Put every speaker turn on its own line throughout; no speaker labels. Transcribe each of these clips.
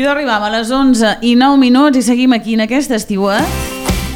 arribam a les 11:09 i seguim aquí en aquest estiuet.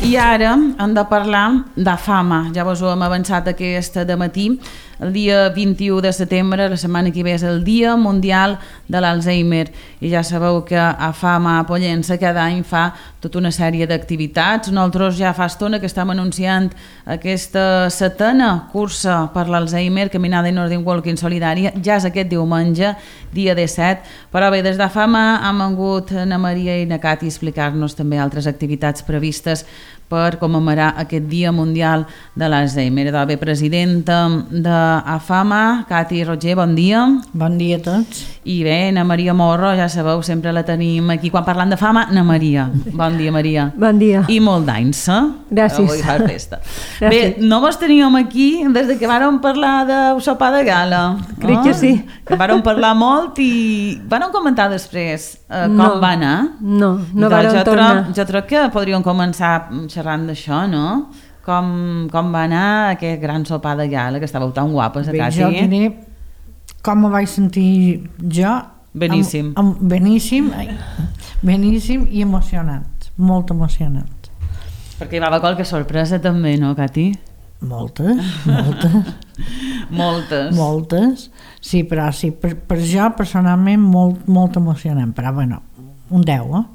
I ara hem de parlar de fama. Ja vos ho hem avançat aquest dematí. El dia 21 de setembre, la setmana que ve, és el Dia Mundial de l'Alzheimer. I ja sabeu que a Fama a Pollença cada any fa tota una sèrie d'activitats. Nosaltres ja fa estona que estem anunciant aquesta 7a cursa per l'Alzheimer, Caminada in Northern Walking Solidària. Ja és aquest diumenge, dia 17. Però bé, des de Fama han vengut na Maria i na Cati a explicar-nos també altres activitats previstes per commemorar aquest Dia Mundial de l'Alzheimer. Bé, presidenta de AFAMA, Cati Roger, bon dia.
Bon dia a tots.
I bé, na Maria Morro, ja sabeu, sempre la tenim aquí. Quan parlant de fama, na Maria. Bon dia, Maria.
Bon dia.
I molt d'anys, eh?
Gràcies.
Avui fa festa. Bé, no vos teníem aquí des de que vàrem parlar de sopar de gala.
Crec que sí.
Que vàrem parlar molt i vàrem comentar després com va anar.
No vàrem tornar.
Jo crec que podríem començar xerrant d'això, no? Com va anar aquest gran sopar de gala, que estàveu tan guapes,
Bé,
Cati?
jo diré com me vaig sentir jo.
Beníssim.
Beníssim i emocionant, molt emocionant.
Perquè hi va haver qualque sorpresa també, no, Cati?
Moltes. Sí, però sí, per jo personalment molt emocionant, però bueno, un 10, eh?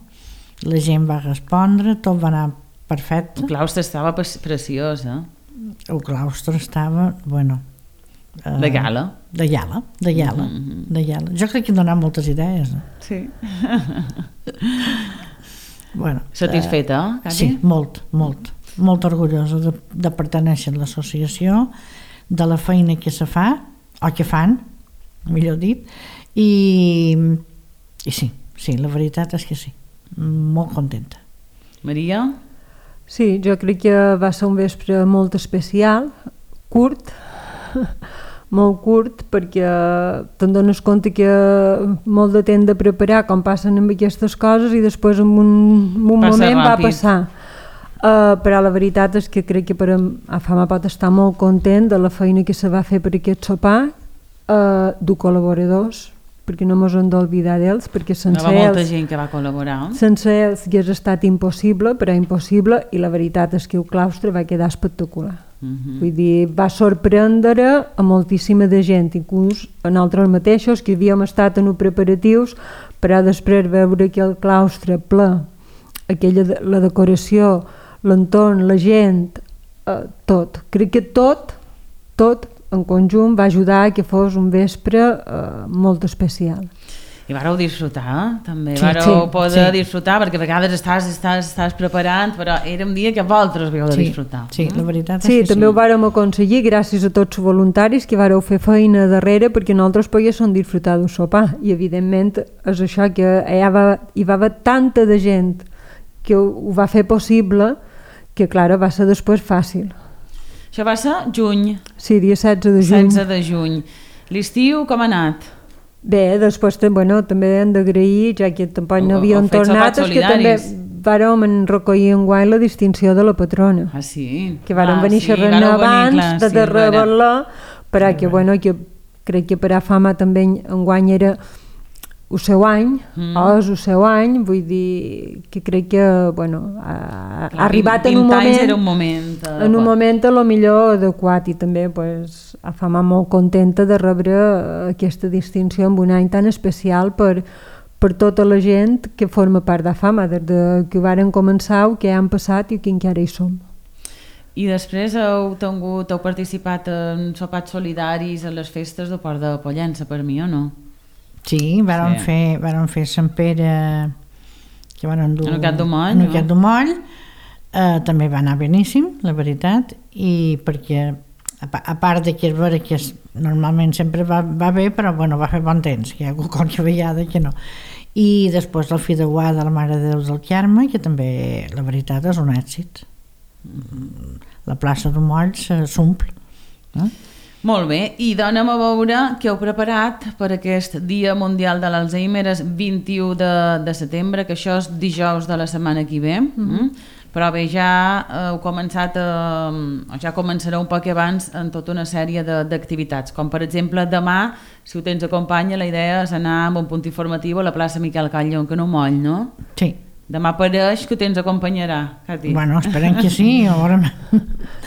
La gent va respondre, tot va anar perfecte.
El claustre estava preciós, eh?
El claustre estava, bueno...
de gala.
De gala. Jo crec que hem donat moltes idees.
Sí.
Bueno,
satisfeta, Cati?
Sí, molt orgullosa de pertenèixer a l'associació, de la feina que se fa, o que fan, millor dit, i sí, la veritat és que sí, molt contenta.
Maria?
Sí, jo crec que va ser un vespre molt especial, curt, molt curt, perquè te'n dones compte que molt de temps de preparar com passen amb aquestes coses i després en un moment ràpid. Va passar. Però la veritat és que crec que per a Fama pot estar molt content de la feina que se va fer per aquest sopar, de col·laboradors, perquè no mos hem d'oblidar d'ells, perquè sense ells...
molta gent que va col·laborar.
Sense ells hagués estat impossible, però impossible, i la veritat és que el claustre va quedar espectacular. Vull dir, va sorprendre a moltíssima de gent, inclús a nosaltres mateixos, que havíem estat en els preparatius, però després veure que el claustre ple, la decoració, l'entorn, la gent, tot. Crec que tot en conjunt va ajudar a que fos un vespre molt especial.
I vareu disfrutar, també. Vareu poder disfrutar, perquè a vegades estàs preparant, però era un dia que vosaltres havíeu de disfrutar.
Sí, la veritat és
que sí.
Sí,
també ho vàrem aconseguir gràcies a tots els voluntaris que vareu fer feina darrere perquè nosaltres poguéssim disfrutar del sopar. I evidentment és això, que hi va haver tanta de gent que ho va fer possible, que clar, va ser després fàcil.
Això va ser juny.
Sí, dia 16 de juny.
16 de juny. L'estiu com ha anat?
Bé, després també hem d'agrair, ja que tampoc no havíem tornat, és que també vàrem recollir enguany la distinció de la patrona.
Ah, sí?
Que vàrem venir xerrant abans de revelar, però que crec que per a Fama també enguany era el seu any, és el seu any, vull dir que crec que ha arribat en un moment a lo millor adequat, i també a Fama molt contenta de rebre aquesta distinció en un any tan especial per tota la gent que forma part de Fama, des que varen començar, que han passat i que encara hi som.
I després heu participat en sopars solidaris a les festes del Port de Pollença, per mi, o no?
Sí, vàrem fer Sant Pere, que van endur
en el Gat
d'Omoll, també va anar beníssim, la veritat, i perquè a part de que és vera que normalment sempre va bé, però va fer bon temps, que hi ha qualque vegada que no. I després el Fideuà de la Mare de Déu del Carme, que també la veritat és un èxit. La plaça d'Omoll s'omple.
Molt bé, i donem a veure què heu preparat per aquest Dia Mundial de l'Alzheimer, és 21 de setembre, que això és dijous de la setmana que ve. Però bé, ja heu començat, ja començareu un poc abans en tota una sèrie d'activitats, com per exemple demà, si ho tens acompanya, la idea és anar amb un punt informatiu a la plaça Miquel Catlló, que no moll, no?
Sí.
Demà pareix que tens acompanyarà, Cati.
Bueno, esperem que sí.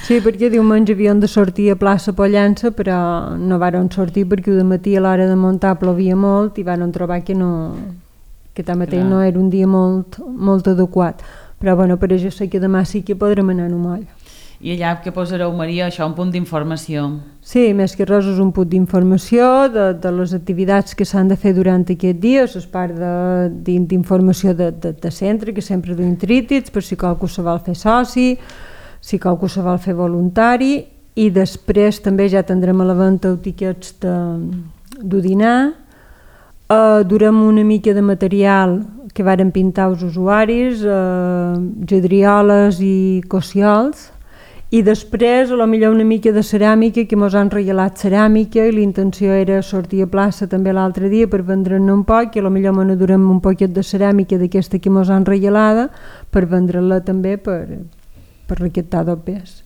Sí, perquè diumenge havien de sortir a plaça Pollença, però no varen sortir perquè de matí a l'hora de muntar plovia molt i varen trobar que tanmateix no era un dia molt adequat. Però bueno, per això sé que demà sí que podrem anar a un moll.
I allà que posareu, Maria, això, un punt d'informació.
Sí, més que res és un punt d'informació de les activitats que s'han de fer durant aquest dia, és part d'informació de centre, que sempre duim trítids, per si qualcú se vol fer soci, si qualcú se vol fer voluntari, i després també ja tindrem a la venda tiquets de dinar, durem una mica de material que varen pintar els usuaris, gedrioles i cossiols, i després potser una mica de ceràmica, que mos han regalat ceràmica i la intenció era sortir a plaça també l'altre dia per vendre-ne un poc, i potser me n'adurem un poquet de ceràmica d'aquesta que mos han regalada per vendre-la també per recaptar del pes.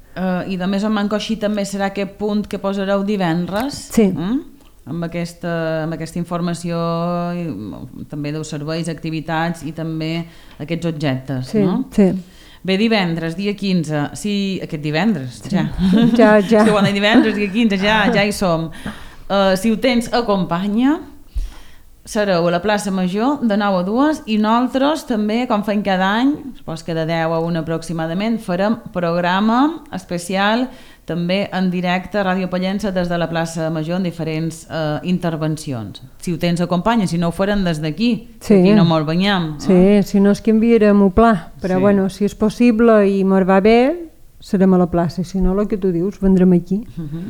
I de més o manco així també serà aquest punt que posareu divendres?
Sí.
Amb aquesta informació també dels serveis, activitats i també aquests objectes, no?
Sí.
Bé, divendres, dia 15, sí, aquest divendres, ja.
Ja.
Sí, bueno, divendres, dia 15, ja hi som. Si ho tens, acompanya, sereu a la plaça Major de 9 a 2 i nosaltres també, com fem cada any, supos que de 10 a 1 aproximadament, farem programa especial també en directe a Ràdio Pollença des de la plaça Major en diferents intervencions. Si ho tens, acompanya, si no ho farem des d'aquí, aquí no molt banyam.
Sí, si no és que enviarem un pla, però bueno, si és possible i mos va bé, serem a la plaça, si no, el que tu dius, vendrem aquí.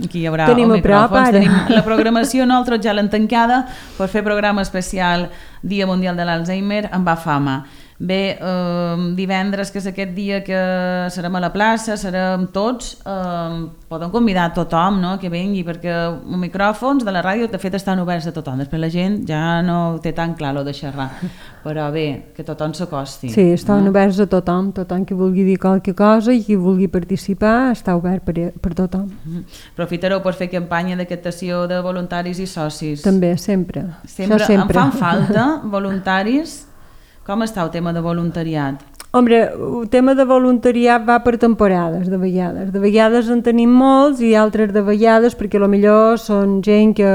Aquí hi haurà
tenim
micròfons, tenim la programació, nosaltres ja l'hem tancada per fer programa especial Dia Mundial de l'Alzheimer amb Afama. Bé, divendres, que és aquest dia que serem a la plaça, serem tots, poden convidar tothom, no?, que vingui, perquè els micròfons de la ràdio de fet estan oberts a tothom, després la gent ja no té tan clar lo de xerrar, però bé, que tothom s'acosti.
Sí, estan oberts a tothom que vulgui dir qualque cosa i qui vulgui participar està obert per tothom.
Aprofitareu per fer campanya de captació de voluntaris i socis?
També, sempre.
Em fan falta voluntaris? Com està el tema de voluntariat?
Hombre, el tema de voluntariat va per temporades, de vegades. De vegades en tenim molts i altres de vegades perquè potser són gent que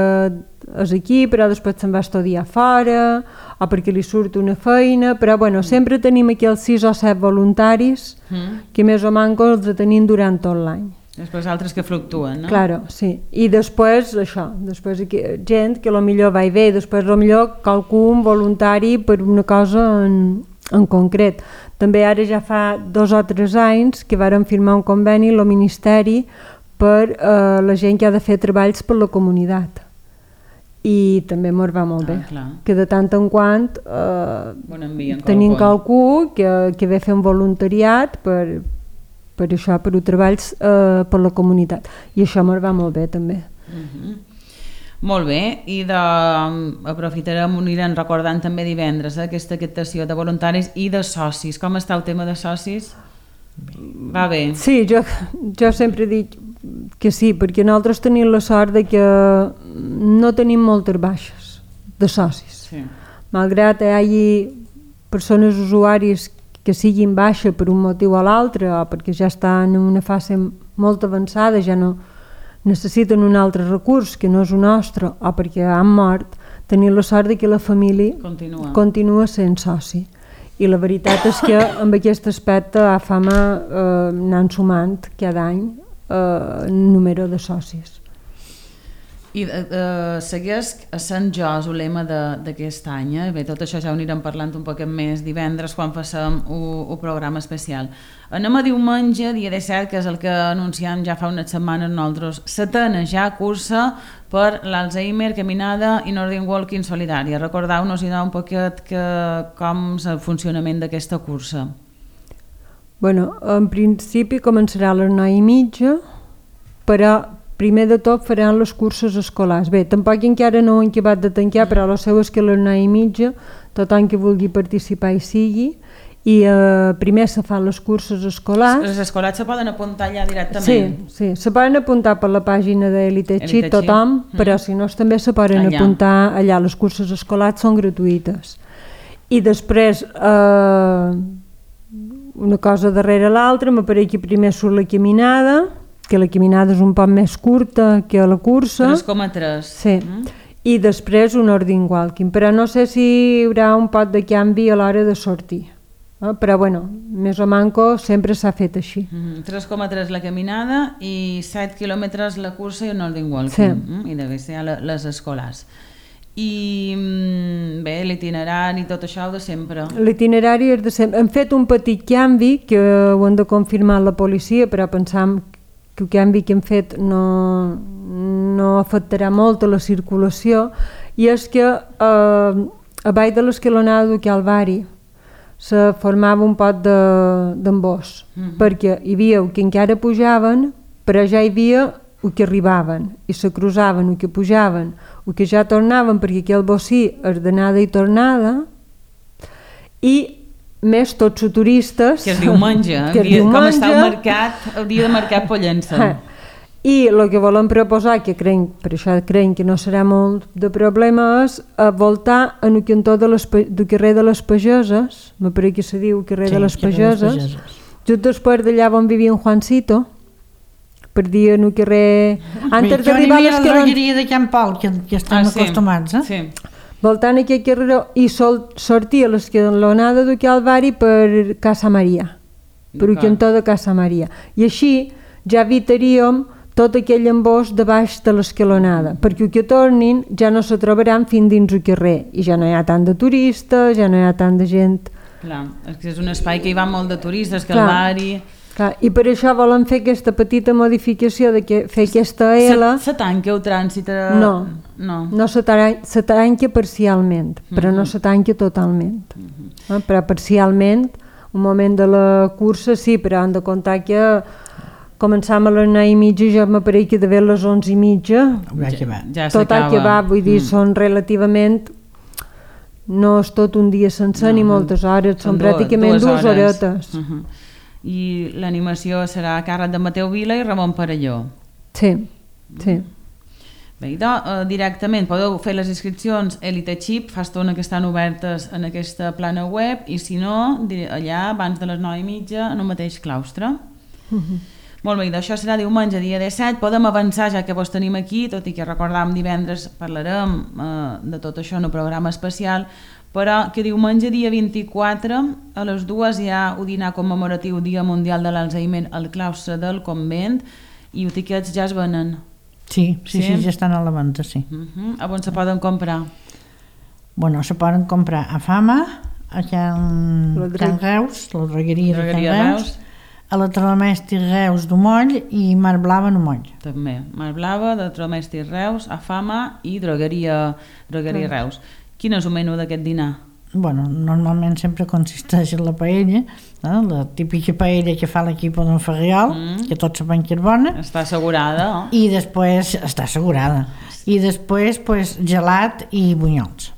és aquí però després se'n va estudiar fora o perquè li surt una feina, però bueno, sempre tenim aquí els 6 o 7 voluntaris que més o menys els tenim durant tot l'any.
Després altres que fluctuen, no?
Claro, sí. I després això, després aquí, gent que potser va i ve, després potser qualcun voluntari per una cosa en concret. També ara ja fa 2 o 3 anys que vàrem firmar un conveni al Ministeri per la gent que ha de fer treballs per la comunitat. I també mos va molt bé, que de tant en quant tenim qualcú que ve a fer un voluntariat per això, per treballs per la comunitat, i això mos va molt bé també.
Molt bé, i aprofitarem, anirem recordant també divendres aquesta captació de voluntaris i de socis. Com està el tema de socis? Va bé? Sí,
jo sempre dic que sí, perquè nosaltres tenim la sort de que no tenim moltes baixes de socis. Malgrat hi hagi persones usuaris que siguin baixa per un motiu o l'altre, o perquè ja estan en una fase molt avançada, ja no necessiten un altre recurs que no és el nostre, o perquè han mort, tenir la sort que la família continua sent soci. I la veritat és que amb aquest aspecte a Fama anant sumant cada any número de socis.
I segueix essent JOS el lema d'aquest any. Bé, tot això ja ho anirem parlant un poc més divendres quan facem un programa especial. Anem a diumenge, dia 17, que és el que anunciam ja fa unes setmanes nosaltres. 7a ja cursa per l'Alzheimer, caminada i Northern Walking solidària. Recordeu-nos i un poquet com és el funcionament d'aquesta cursa.
Bueno, en principi començarà a les 9:30, però primer de tot faran les curses escolars. Bé, tampoc encara no ho han acabat de tancar, però el seu és que a les 9:30 tothom que vulgui participar hi sigui, i primer se fan les curses escolars.
Les escolars se poden apuntar allà directament?
Sí, se poden apuntar per la pàgina d'Elite Chip tothom, però si no també se poden apuntar allà. Les curses escolars són gratuïtes. I després, una cosa darrere l'altra, m'apareix que primer surt la caminada, que la caminada és un poc més curta que la cursa.
3,3.
Sí. I després un ordine walking, però no sé si hi haurà un pot de canvi a l'hora de sortir. Però bueno, més o manco sempre s'ha fet així.
3,3 la caminada i 7 quilòmetres la cursa i un ordine walking. I després hi ha les escolars. I bé, l'itinerari i tot això de sempre.
L'itinerari és de sempre. Hem fet un petit canvi que ho han de confirmar la policia, però pensam que el canvi que hem fet no afectarà molt a la circulació, i és que a baix de l'escalonada del Calvari se formava un pot d'embós, perquè hi havia el que encara pujaven, però ja hi havia el que arribaven, i se cruzaven, el que pujaven, el que ja tornaven, perquè aquell bocí és d'anada i tornada, i més tots els turistes...
Que es diumenge, com està el mercat, el dia de mercat Pollença.
I el que volem proposar, que per això creiem que no serà molt de problema, és voltar en el cantó del carrer de les Pageses, m'apareix que se diu carrer de les Pageses, just després d'allà on vivia en Juancito, per dir en el carrer...
Antes d'arribar a la drogueria de Can Pol, que estem acostumats,
Sí. Voltant aquest carrer i sortir a l'escalonada del Calvari per Casa Maria, per el cantó de Casa Maria. I així ja evitaríem tot aquell embós de baix de l'escalonada, perquè el que tornin ja no se trobaran fins dins el carrer, i ja no hi ha tant de turistes, ja no hi ha tant de gent.
Clar, és un espai que hi va molt de turistes, Calvari...
Clar, i per això volem fer aquesta petita modificació de fer aquesta L.
Se tanca el trànsit?
No se tanca parcialment, però no se tanca totalment. Però parcialment, un moment de la cursa sí, però hem de comptar que començam a les 9:30, ja m'apareix que d'haver les 11:30
ja
tot el que va, vull dir, són relativament, no és tot un dia sencer ni moltes hores, són pràcticament 2 horetes.
I l'animació serà a càrrec de Mateu Vila i Ramon Parelló.
Sí.
Bé, directament podeu fer les inscripcions Elite Chip, fa estona que estan obertes en aquesta plana web, i si no, allà abans de les 9:30 en el mateix claustre. Molt bé, això serà diumenge, dia 17. Podem avançar ja que vos tenim aquí, tot i que recordàvem divendres parlarem de tot això en un programa especial, però que diumenge, dia 24, a les 2 hi ha un dinar commemoratiu Dia Mundial de l'Alzheimer al claustre del convent, i els tiquets ja es venen.
Sí, ja estan a la venda, sí.
A on se poden comprar?
Bueno, se poden comprar a Fama, a Can Reus, la drogueria de Can Reus, a la Tramesti Reus d'Omoll i Mar Blava d'Omoll.
També, Mar Blava, de Tramesti Reus, a Fama i drogueria Reus. Quin és el menú d'aquest dinar?
Bueno, normalment sempre consisteix en la paella, la típica paella que fa l'equip d'en Ferriol, que tots sabem que és bona.
Està assegurada.
I després, està assegurada. I després, gelat i bunyols.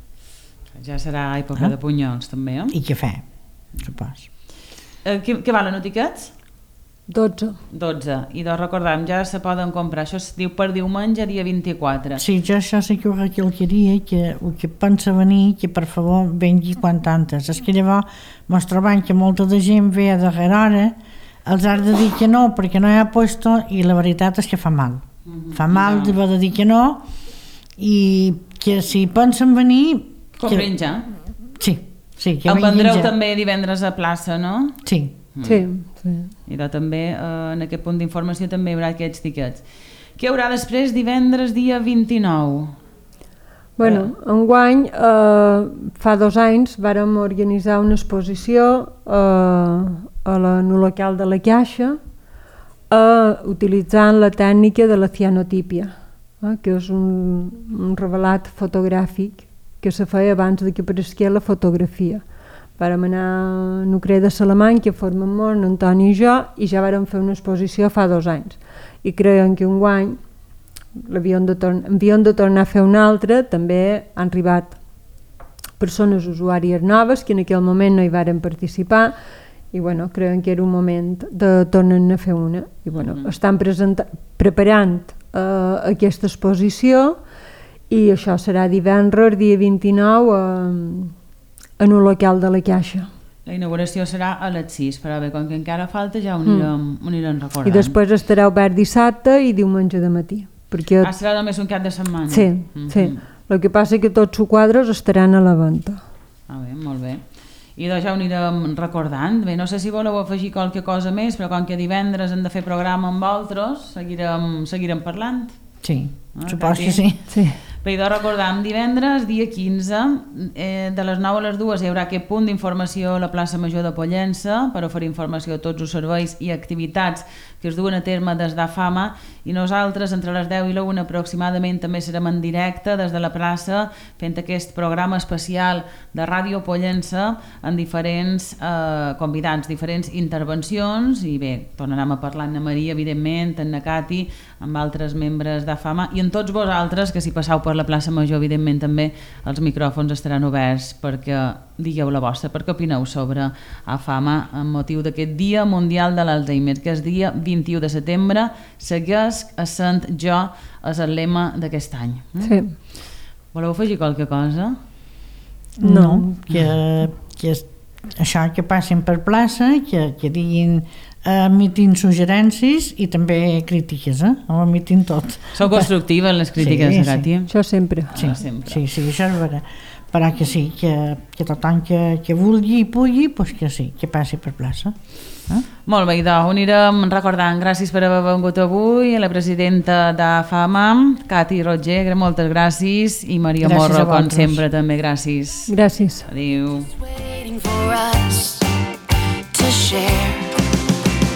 Ja serà època de bunyols, també.
I cafè, supos.
Què valen els tiquets?
12.
I recordem, ja se poden comprar. Això es diu per diumenge, dia 24.
Sí, jo això sí que ho recalcaria, que el que pensa venir, que per favor vengui quant antes. És que llavors ens trobem que molta de gent ve a darrera hora, els has de dir que no perquè no hi ha puesto, i la veritat és que fa mal. Fa mal de dir que no, i que si pensen venir...
Comprin ja.
Sí, que
el vendreu també divendres a plaça, no?
Sí.
I també en aquest punt d'informació també hi haurà aquests tiquets. Què hi haurà després divendres dia 29?
Bueno, enguany fa 2 anys vàrem organitzar una exposició en el local de la Caixa utilitzant la tècnica de la cianotípia, que és un revelat fotogràfic que se feia abans que apareixia la fotografia. Vàrem anar a Nucre de Salamany, que formen molt, Antoni i jo, i ja vàrem fer una exposició fa 2 anys. I creiem que enguany havíem de tornar a fer una altra. També han arribat persones usuàries noves que en aquell moment no hi varen participar i bueno, creuen que era un moment de tornar a fer una i bueno, estan preparant aquesta exposició i això serà divendres, dia 29 en un local de la Caixa.
La inauguració serà a les 6, però bé, com que encara falta ja ho anirem recordant.
I després estarà obert dissabte i diumenge de matí. Perquè...
serà només un cap de setmana?
Sí, sí. El que passa que tots els quadres estaran a la venda.
Bé, molt bé. I doncs ja ho anirem recordant. Bé, no sé si voleu afegir qualque cosa més, però com que divendres hem de fer programa amb vosaltres, seguirem parlant.
Sí, supos que sí.
Bé, doncs recordam, divendres, dia 15, de les 9 a les 2 hi haurà aquest punt d'informació a la plaça Major de Pollença per oferir informació a tots els serveis i activitats que es duen a terme des d'AFAMA i nosaltres entre les 10 i la 1 aproximadament també serem en directe des de la plaça fent aquest programa especial de Ràdio Pollença amb diferents convidats, diferents intervencions i bé, tornarem a parlar amb Maria, evidentment, amb Cati, amb altres membres d'AFAMA i amb tots vosaltres que si passau per la plaça Major, evidentment també els micròfons estaran oberts perquè digueu la vostra, perquè opineu sobre AFAMA amb motiu d'aquest Dia Mundial de l'Alzheimer, que és dia 21 de setembre, segueix essent jo és el lema d'aquest any.
Sí.
Voleu afegir qualque cosa?
No, que això que passin per plaça, que diguin emitin suggerències i també crítiques, ho emitin tot.
Són constructives les crítiques, Cati?
Això sempre.
Sí, això és vera. Però que sí, que tothom que vulgui i pugui, doncs que sí, que passi per plaça.
Molt bé, doncs ho anirem recordant. Gràcies per haver vengut avui a la presidenta d'AFAMA, Cati Roger, moltes gràcies, i Maria Morro, com sempre, també gràcies.
Gràcies.
Adéu.